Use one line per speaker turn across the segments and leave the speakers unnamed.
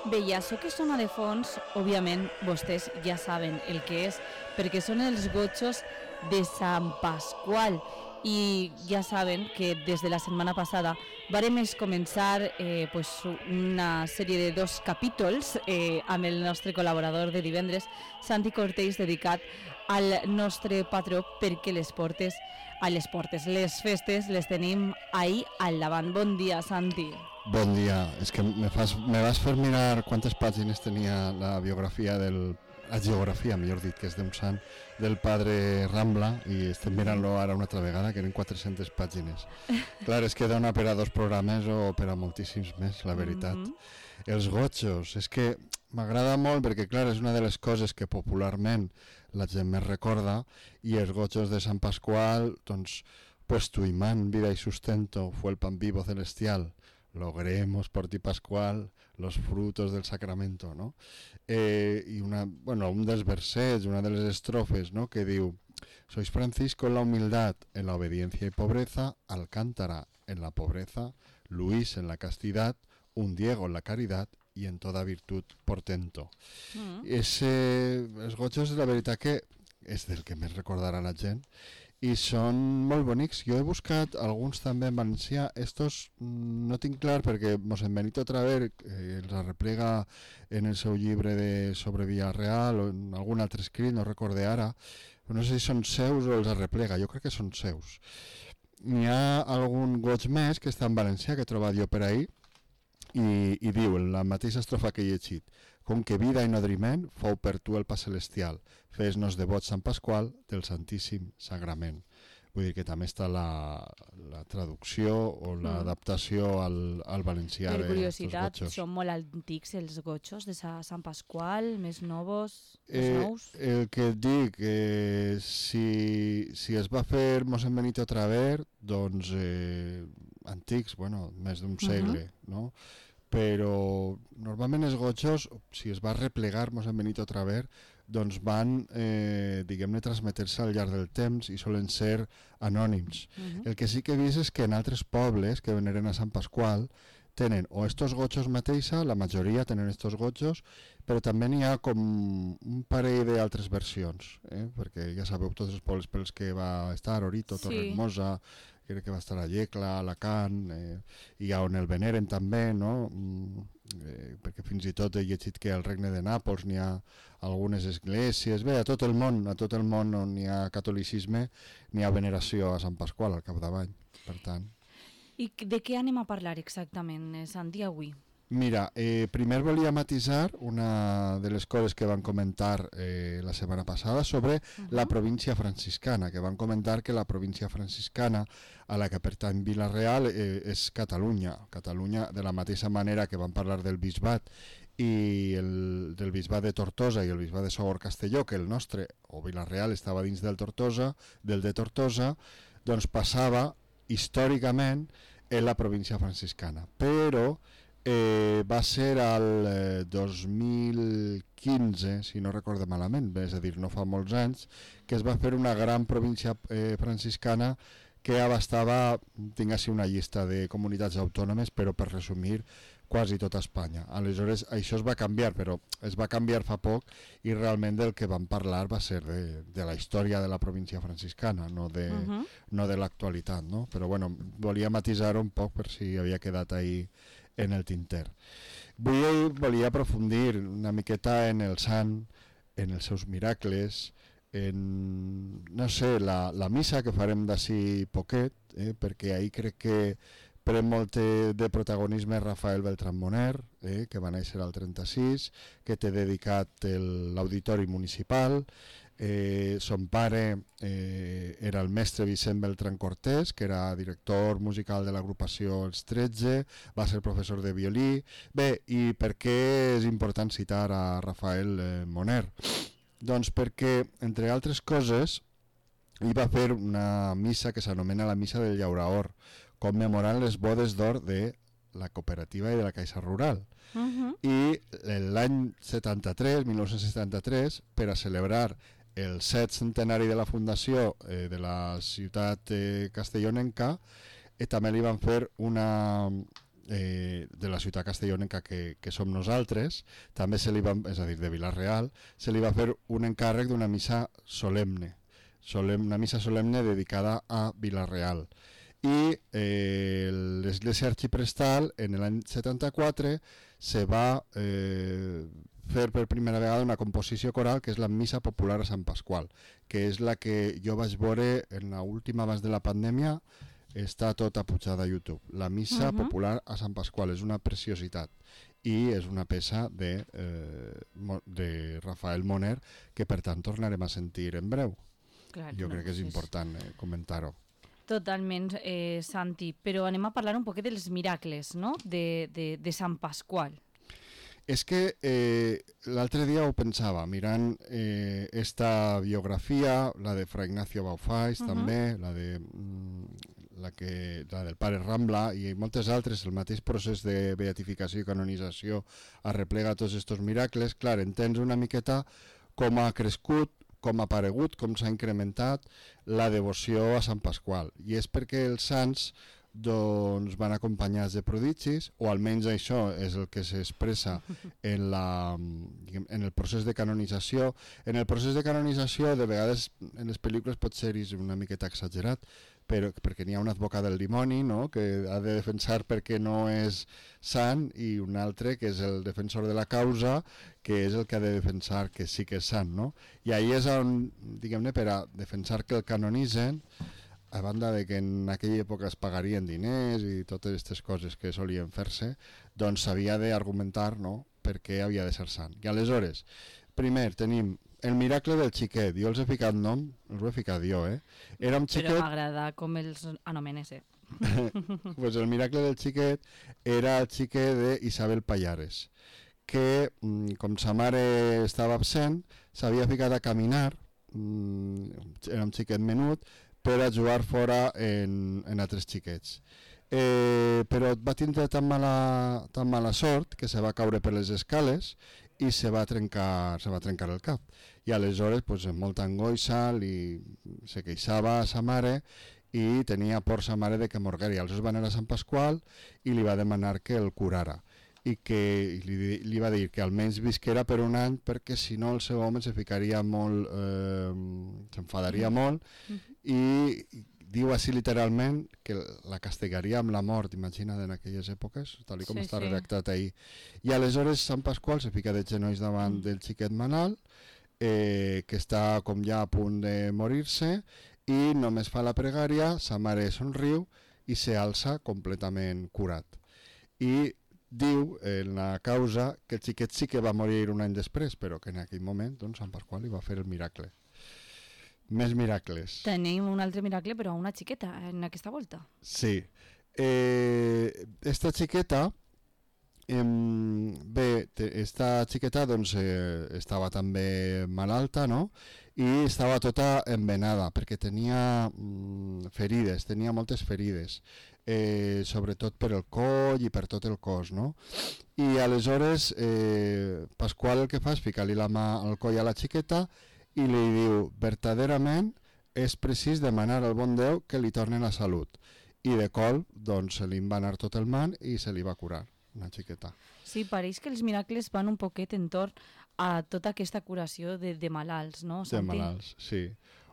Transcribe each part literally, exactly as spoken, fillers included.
Bé, i això que sona de fons, òbviament, vostès ja saben el que és, perquè són els gotxos de Sant Pasqual. I ja saben que des de la setmana passada vàrem començar eh, pues una sèrie de dos capítols eh, amb el nostre col·laborador de divendres, Santi Cortells, dedicat al nostre patró, perquè les portes, a les portes, les festes les tenim ahir al davant. Bon dia, Santi.
Bon dia. És que me, fas, me vas fer mirar quantes pàgines tenia la biografia del... la geografia, millor dit, que és d'un sant, del padre Rambla, i estem mirant-lo ara una altra vegada, que eren quatre-centes pàgines. Clar, és que dona per a dos programes o per a moltíssims més, la veritat. Mm-hmm. Els gotxos, és que m'agrada molt perquè, clar, és una de les coses que popularment la gent més recorda, i els gotxos de Sant Pasqual, doncs, pues tu imán, vida y sustento, fue el pan vivo celestial, logremos por ti Pascual los frutos del sacramento, ¿no? Eh, y una, bueno, un dels versets, una de les estrofes, ¿no? Que diu: sois Francisco en la humildad, en la obediencia y pobreza, Alcántara en la pobreza, Luis en la castidad, un Diego en la caridad y en toda virtud portento. Mm. Ese, els gotxos, la veritat que és del que més recordarà la gent, i són molt bonics. Jo he buscat alguns també en valencià. Estos no tinc clar perquè Mossèn Benito Traver eh, els arreplega en el seu llibre de sobre Villarreal o en algun altre escrit, no recorde ara, no sé si són seus o els arreplega, jo crec que són seus. N'hi ha algun goig més que està en valencià, que he trobat jo per ahí, i, i diu en la mateixa estrofa que he llegit: com que vida i nodriment fou per tu el pa celestial, fes-nos devots Sant Pasqual del Santíssim Sagrament. Vull dir que també està la, la traducció o l'adaptació al, al valencià.
Per curiositat, són molt antics els gotxos de Sant Pasqual, més nous, més
eh,
nous?
El que et dic, eh, si, si es va fer Mossèn Benito Traver, doncs eh, antics, bueno, més d'un segle, uh-huh. no? Però normalment els gotxos, si es va replegar Mossèn Benito Traver, doncs van, eh, diguem-ne, transmetre-se al llarg del temps i solen ser anònims. Uh-huh. El que sí que he vist és que en altres pobles que veneren a Sant Pasqual tenen o estos gotxos mateixa, la majoria tenen estos gotxos, però també n'hi ha com un parell d'altres versions, eh? Perquè ja sabeu tots els pobles pels que va estar, Orito, sí. Torremosa, crec que va estar a Llecla, Alacant, eh, i on el veneren també, no? Eh, perquè fins i tot he llegit que al Regne de Nàpols n'hi ha algunes esglésies, bé, a tot el món, a tot el món on n'hi ha catolicisme, n'hi ha veneració a Sant Pasqual al capdavall, per tant.
I de què anem a parlar exactament, Santi, avui?
Mira, eh, primer volia matisar una de les coses que van comentar eh, la setmana passada sobre uh-huh. la província franciscana, que van comentar que la província franciscana a la que pertany Vila-real eh, és Catalunya. Catalunya, de la mateixa manera que van parlar del bisbat i el, del bisbat de Tortosa i el bisbat de Sogorb-Castelló, que el nostre, o Vila-real, estava dins del Tortosa, del de Tortosa, doncs passava històricament en la província franciscana, però eh, va ser al eh, dos mil quinze, si no recordo malament, és a dir, no fa molts anys, que es va fer una gran província eh, franciscana que abastava, tinc així una llista de comunitats autònomes, però per resumir, quasi tota Espanya. Aleshores, això es va canviar, però es va canviar fa poc i realment del que vam parlar va ser de, de la història de la província franciscana, no de, uh-huh. no de l'actualitat, no? Però bueno, volia matisar un poc per si havia quedat ahí en el tinter. Vull, volia aprofundir una miqueta en el sant, en els seus miracles, en, no sé, la, la missa que farem d'ací poquet, eh, perquè ahir crec que pren molt de protagonisme Rafael Beltrán Moner, eh, que va néixer al trenta-sis, que té dedicat l'auditori municipal. Eh, son pare eh, era el mestre Vicent Beltrán Cortés, que era director musical de l'agrupació Els tretze, va ser professor de violí. Bé, i per què és important citar a Rafael eh, Moner? Doncs perquè, entre altres coses, hi va fer una missa que s'anomena la Missa del Llauraor, commemorant les bodes d'or de la cooperativa i de la Caixa Rural. Uh-huh. I l'any setanta-tres, mil nou-cents setanta-tres, per a celebrar el set centenari de la fundació eh, de la ciutat eh, castellonenca, eh, també li van fer una, eh, de la ciutat castellonenca que, que som nosaltres, també se li va, és a dir, de Vila-real, se li va fer un encàrrec d'una missa solemne, solemne, una missa solemne dedicada a Vila-real. I eh, l'església arxiprestal en l'any setanta-quatre se va eh, fer per primera vegada una composició coral que és la Missa Popular a Sant Pasqual, que és la que jo vaig veure en l'última abans de la pandèmia, està tota pujada a YouTube. La Missa uh-huh. Popular a Sant Pasqual és una preciositat i és una peça de, eh, de Rafael Moner que per tant tornarem a sentir en breu.
Clar,
jo
no,
crec que és
sí,
important eh, comentar-ho.
Totalment, eh, Santi, però anem a parlar un poquet dels miracles, no?, de, de, de Sant Pasqual.
És que eh, l'altre dia ho pensava, mirant eh, esta biografia, la de Fra Ignacio Baufais uh-huh. també, la, de, mm, la, que, la del pare Rambla i moltes altres, el mateix procés de beatificació i canonització arreplega tots aquests miracles. Clar, entens una miqueta com ha crescut, com ha aparegut, com s'ha incrementat la devoció a Sant Pasqual. I és perquè els sants doncs van acompanyats de prodigis, o almenys això és el que s'expressa en, la, en el procés de canonització. En el procés de canonització, de vegades en les pel·lícules pot ser una miqueta exagerat, però perquè n'hi ha un advocat del dimoni, no?, que ha de defensar perquè no és sant, i un altre que és el defensor de la causa, que és el que ha de defensar que sí que és sant, no? I ahí és on, diguem-ne, per a defensar que el canonitzen, a banda de que en aquella època es pagarien diners i totes aquestes coses que solien fer-se, doncs s'havia d'argumentar, no?, per què havia de ser sant. I aleshores, primer tenim el miracle del xiquet. Jo els he ficat nom, els ho he ficat jo, eh? Era un xiquet...
Però m'agrada com els anomenes, eh?
Pues el miracle del xiquet era el xiquet d'Isabel Pallares, que, com sa mare estava absent, s'havia ficat a caminar, era un xiquet menut, per a jugar fora en, en altres xiquets. Eh, però va tindre tan mala, tan mala sort que se va caure per les escales i se va trencar, se va trencar el cap. I aleshores, pues, amb molta angoixa, li, se queixava a sa mare i tenia por sa mare de que morguera. I aleshores va anar a Sant Pasqual i li va demanar que el curara. I que li, li va dir que almenys visquera per un any, perquè si no el seu home se ficaria molt, eh, s'enfadaria mm. molt, mm-hmm. i diu així literalment que la castigaria amb la mort, imagina't en aquelles èpoques, tal com sí, està sí. redactat ahir. I aleshores Sant Pasqual se fica de genolls davant mm. del xiquet malalt, eh, que està com ja a punt de morir-se, i només fa la pregària, sa mare somriu i se alça completament curat. I diu en la causa que el xiquet sí que va morir un any després, però que en aquell moment doncs, Sant Pasqual li va fer el miracle. Més miracles.
Tenim un altre miracle, però a una xiqueta en aquesta volta.
Sí. Eh, esta xiqueta, eh, bé, esta xiqueta doncs, eh, estava també malalta, no?, i estava tota envenada, perquè tenia mm, ferides, tenia moltes ferides. Eh, sobretot per el coll i per tot el cos, no? I aleshores eh, Pasqual el que fa és ficar-li la mà al coll a la xiqueta i li diu, verdaderament és precís demanar al bon Déu que li torni la salut. I de col, doncs, se li va anar tot el man i se li va curar, una xiqueta.
Sí, pareix que els miracles van un poquet entorn a tota aquesta curació de, de malalts, no, Santi?
De malalts, sí.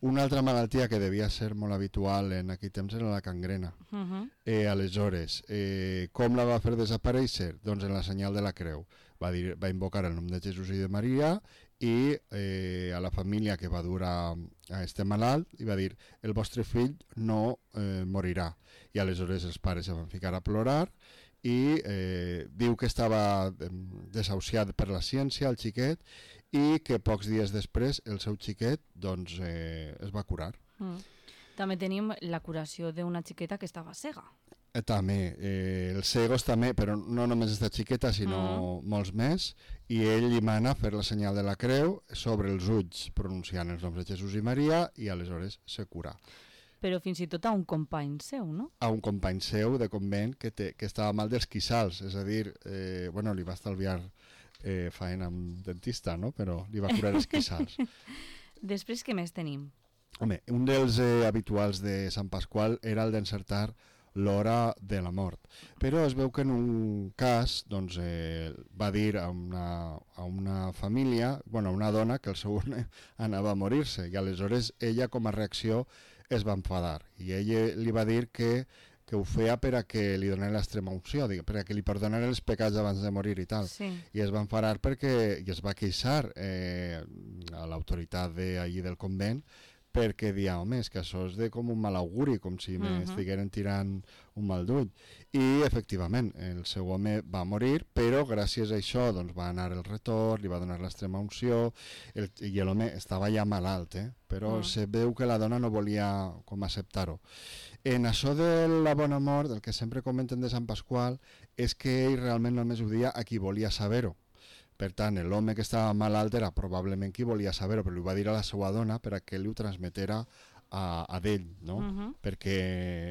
Una altra malaltia que devia ser molt habitual en aquell temps era la gangrena. Uh-huh. Eh, aleshores, eh, com la va fer desaparèixer? Doncs en la senyal de la creu. Va, dir, va invocar el nom de Jesús i de Maria i eh, a la família que va dur a, a este malalt i va dir, el vostre fill no eh, morirà. I aleshores els pares se van ficar a plorar i eh, diu que estava desahuciat per la ciència, el xiquet, i que pocs dies després el seu xiquet doncs, eh, es va curar.
Mm. També tenim la curació d'una xiqueta que estava cega.
Eh, també, eh, els cegos també, però no només esta xiqueta, sinó mm. molts més, i ell li mana fer la senyal de la creu sobre els ulls, pronunciant els noms de Jesús i Maria, i aleshores se cura.
Però fins i tot a un company seu, no?
A un company seu de convent que, te, que estava mal dels quissals, és a dir, eh, bueno, li va estalviar Eh, faena amb dentista, no? Però li va curar els quissals.
Després, què més tenim?
Home, un dels eh, habituals de Sant Pasqual era el d'encertar l'hora de la mort. Però es veu que en un cas doncs, eh, va dir a una, a una família, bueno, a una dona, que el seu home anava a morir-se, i aleshores ella com a reacció es va enfadar, i ella li va dir que que ho feia per a que li donés l'extrema unció, per a que li perdonés els pecats abans de morir i tal.
Sí.
I es va enfadar perquè i es va queixar eh, a l'autoritat d'allí del convent, perquè dia, home, és que això és de com un mal auguri, com si uh-huh. m'estigueren tirant un mal d'ull. I efectivament, el seu home va morir, però gràcies a això doncs, va anar el retorn, li va donar l'extrema unció, el, i l'home estava ja malalt, eh? però uh-huh. se veu que la dona no volia com acceptar-ho. En això de la bona mort, el que sempre comenten de Sant Pasqual és que ell realment només ho dia a qui volia saber-ho. Per tant, l'home que estava malalt era probablement qui volia saber-ho, però li va dir a la seva dona per a que li ho transmetera a, a d'ell, no? Uh-huh. Perquè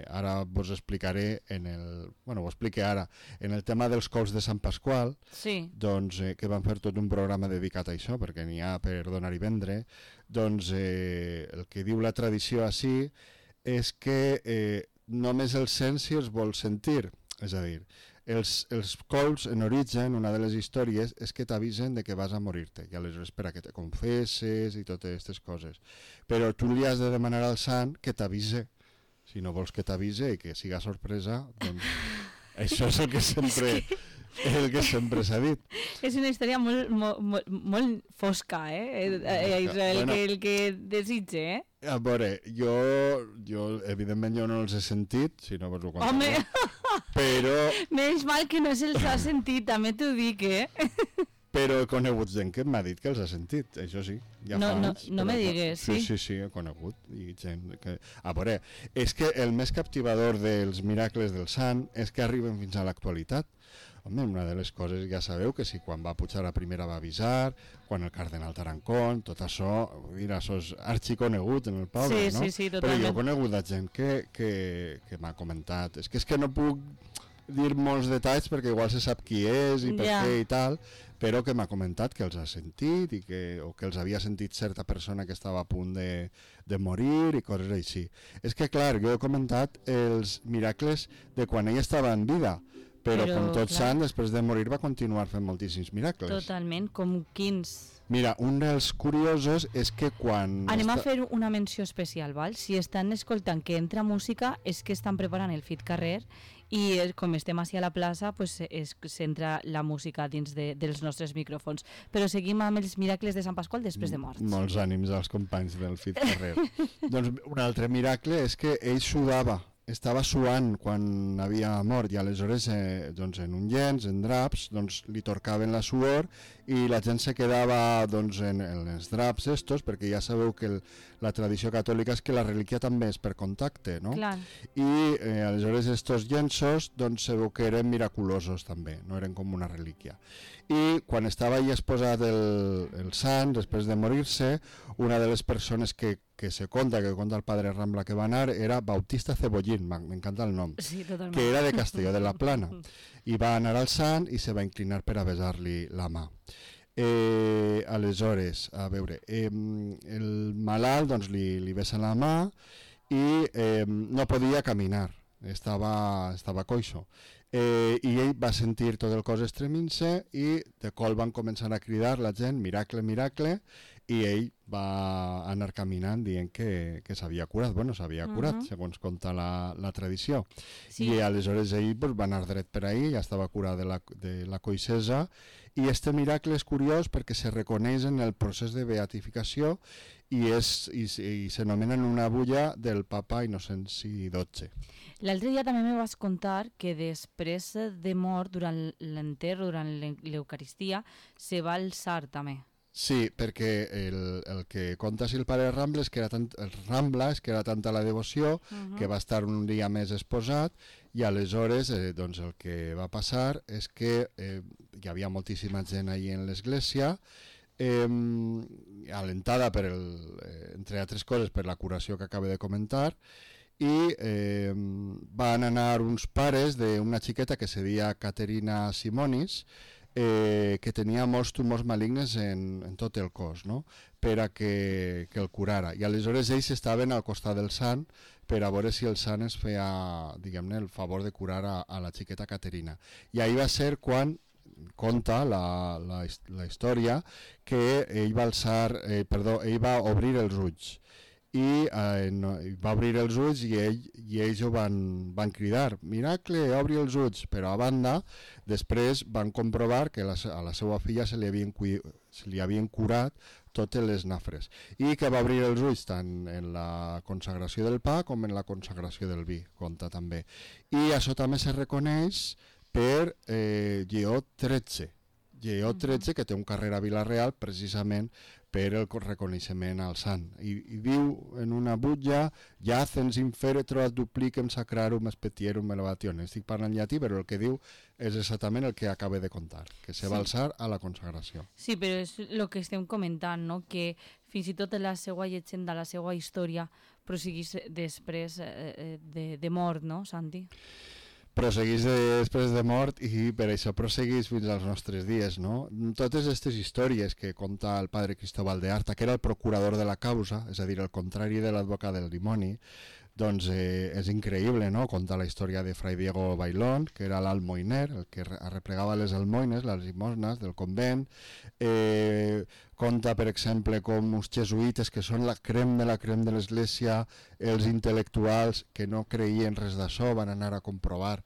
ara vos explicaré, en el, bueno, ho explique ara, en el tema dels cols de Sant Pasqual,
sí.
doncs, eh, que van fer tot un programa dedicat a això, perquè n'hi ha per donar i vendre, doncs eh, el que diu la tradició així és que eh, només els sents si els vols sentir, és a dir, els, els cols en origen, una de les històries és que t'avisen de que vas a morir-te i aleshores per a que te confesses i totes aquestes coses, però tu li has de demanar al sant que t'avise, si no vols que t'avise i que siga sorpresa, doncs això és el que sempre el que sempre s'ha dit.
És una història molt, molt, molt, molt fosca, eh? eh Israel, bueno, que el que desitge, eh?
A veure, jo, jo evidentment jo no els he sentit, si no vos ho contaré.
Home!
Però...
Menys mal que no se'ls ha sentit, també t'ho dic, eh?
Però he conegut gent que m'ha dit que els ha sentit, això sí. Ja
no,
fa
no,
anys,
no me digues, sí?
Sí, sí, sí, he conegut. I gent que... A veure, és que el més captivador dels miracles del sant és que arriben fins a l'actualitat. Home, una de les coses, ja sabeu, que si quan va pujar la primera va avisar, quan el cardenal Tarancón, tot això, mira, això és arxiconegut en el poble,
sí,
no?
Sí, sí, totalment.
Però jo he conegut gent que, que, que m'ha comentat. És que és que no puc dir molts detalls perquè igual se sap qui és i per
ja.
què i tal, però que m'ha comentat que els ha sentit i que, o que els havia sentit certa persona que estava a punt de, de morir i coses així. És que, clar, jo he comentat els miracles de quan ell estava en vida, però, però com tot clar. Sant, després de morir va continuar fent moltíssims miracles.
Totalment, com quins...
Mira, un dels curiosos és que quan...
Anem està... a fer una menció especial, val? Si estan escoltant que entra música és que estan preparant el Fit Carrer i com estem així a la plaça pues, s'entra la música dins de, dels nostres micròfons. Però seguim amb els miracles de Sant Pasqual després de morts.
Molts ànims als companys del Fit Carrer. Doncs un altre miracle és que ell sudava. Estava suant quan havia mort i aleshores eh, doncs, en un llenç, en draps, doncs, li torcaven la suor i la gent se quedava doncs, en, en els draps estos, perquè ja sabeu que el, la tradició catòlica és que la relíquia també és per contacte, no?
Clar.
I eh, aleshores estos llenços doncs, se veu que eren miraculosos també, no eren com una relíquia. I quan estava allà exposat el, el sant, després de morir-se, una de les persones que, que se conta, que conta el padre Rambla que va anar, era Bautista Cebollín, m'encanta el nom,
sí,
que era de Castelló de la Plana, i va anar al sant i se va inclinar per a besar-li la mà. Eh, aleshores, a veure, eh, el malalt doncs, li, li besa la mà i eh, no podia caminar, estava, estava coixo. Eh, i ell va sentir tot el cos estremint-se i de col van començar a cridar la gent, miracle, miracle, i ell va anar caminant dient que, que s'havia curat, bueno, s'havia curat, uh-huh. segons conta la, la tradició. Sí. I aleshores ell pues, va anar dret per ahí, ja estava curat de la, de la coixesa, i este miracle és curiós perquè se reconeix en el procés de beatificació i, és, i, i s'anomena en una bulla del papa Innocenci dotze.
L'altre dia també me vas contar que després de mort, durant l'enterro, durant l'Eucaristia, se va alçar també.
Sí, perquè el, el que conta si el pare Rambla és que era tant, el Rambla és que era tanta la devoció uh-huh. que va estar un dia més exposat i aleshores eh, doncs el que va passar és que eh, hi havia moltíssima gent allà en l'església, eh, alentada per el, eh, entre altres coses per la curació que acabo de comentar, i eh, van anar uns pares d'una xiqueta que se deia Caterina Simonis, eh, que tenia molts tumors malignes en, en tot el cos, no? Per a que, que el curara. I aleshores ells estaven al costat del sant per a veure si el sant es feia, diguem-ne, el favor de curar a, a la xiqueta Caterina. I ahir va ser quan conta la, la, la història que ell va alçar, eh, perdó, ell va obrir els ulls. I eh, no, va obrir els ulls i, ell, i ells ho van, van cridar, miracle, obri els ulls, però a banda després van comprovar que la, a la seva filla se li, havien, se li havien curat totes les nafres i que va obrir els ulls tant en la consagració del pa com en la consagració del vi, compta també. I això també se reconeix per eh, Lleó tretze, Lleó tretze, que té un carrer a Vila-real precisament per el reconeixement al sant. I, i diu en una butlla, jacens inferetro ad duplicem sacrarum expetierum elevation. Estic parlant llatí, però el que diu és exactament el que acaba de contar, que se va sí. alçar a la consagració.
Sí, però és el que estem comentant, no? Que fins i tot la seva llegenda, la seva història, prosseguís després eh, de, de mort, no, Santi?
Prosseguís de, després de mort i per això prosseguís fins als nostres dies, no? Totes aquestes històries que conta el padre Cristóbal de Arta, que era el procurador de la causa, és a dir, el contrari de l'advocat del dimoni, doncs eh, és increïble, no? Conta la història de Fray Diego Bailón, que era l'almoiner, el que arreplegava les almoines, les limosnes del convent. Eh, conta, per exemple, com uns jesuïtes, que són la crem de la crem de l'església, els intel·lectuals que no creien res d'això, van anar a comprovar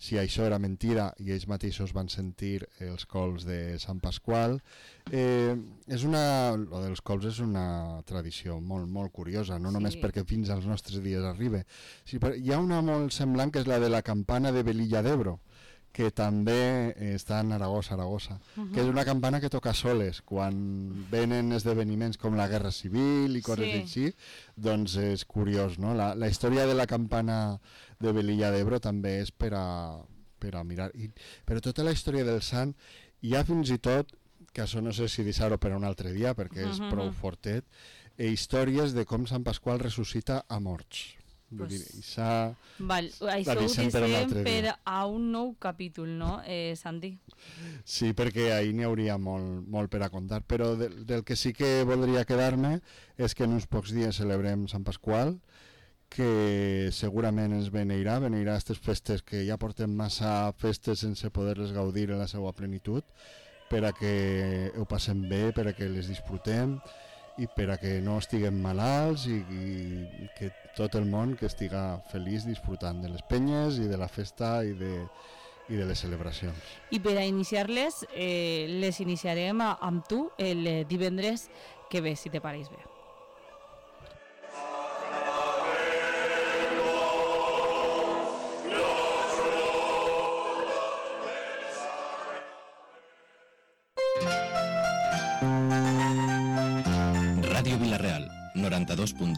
si això era mentira i ells mateixos van sentir els cols de Sant Pasqual. Eh, és una, lo dels cols és una tradició molt, molt curiosa, no sí. només perquè fins als nostres dies arriba. Sí, hi ha una molt semblant que és la de la campana de Velilla d'Ebro, que també està en Aragó, Saragossa, uh -huh. que és una campana que toca soles quan venen esdeveniments com la Guerra Civil i coses sí. així, doncs és curiós, no? La, la història de la campana de Velilla d'Ebro també és per a, per a mirar. I, però tota la història del sant, hi ha fins i tot, que això no sé si deixar-ho per un altre dia perquè és uh -huh. prou fortet, eh, històries de com Sant Pasqual ressuscita a morts. Pues, dir, això
val, això ho deixem per, per a un nou capítol, no, eh, Santi?
Sí, perquè ahir n'hi hauria molt, molt per a contar, però de, del que sí que voldria quedar-me és que en uns pocs dies celebrem Sant Pasqual, que segurament ens beneirà, beneirà aquestes festes que ja portem massa festes sense poder-les gaudir en la seva plenitud, per a que ho passem bé, per a que les disfrutem, i per a que no estiguem malalts i, i que tot el món que estiga feliç disfrutant de les penyes i de la festa i de, i de les celebracions.
I per a iniciar-les, eh, les iniciarem amb tu el divendres que ve, si te pareix bé.
Ràdio Vila-real, noranta-dos punt dos.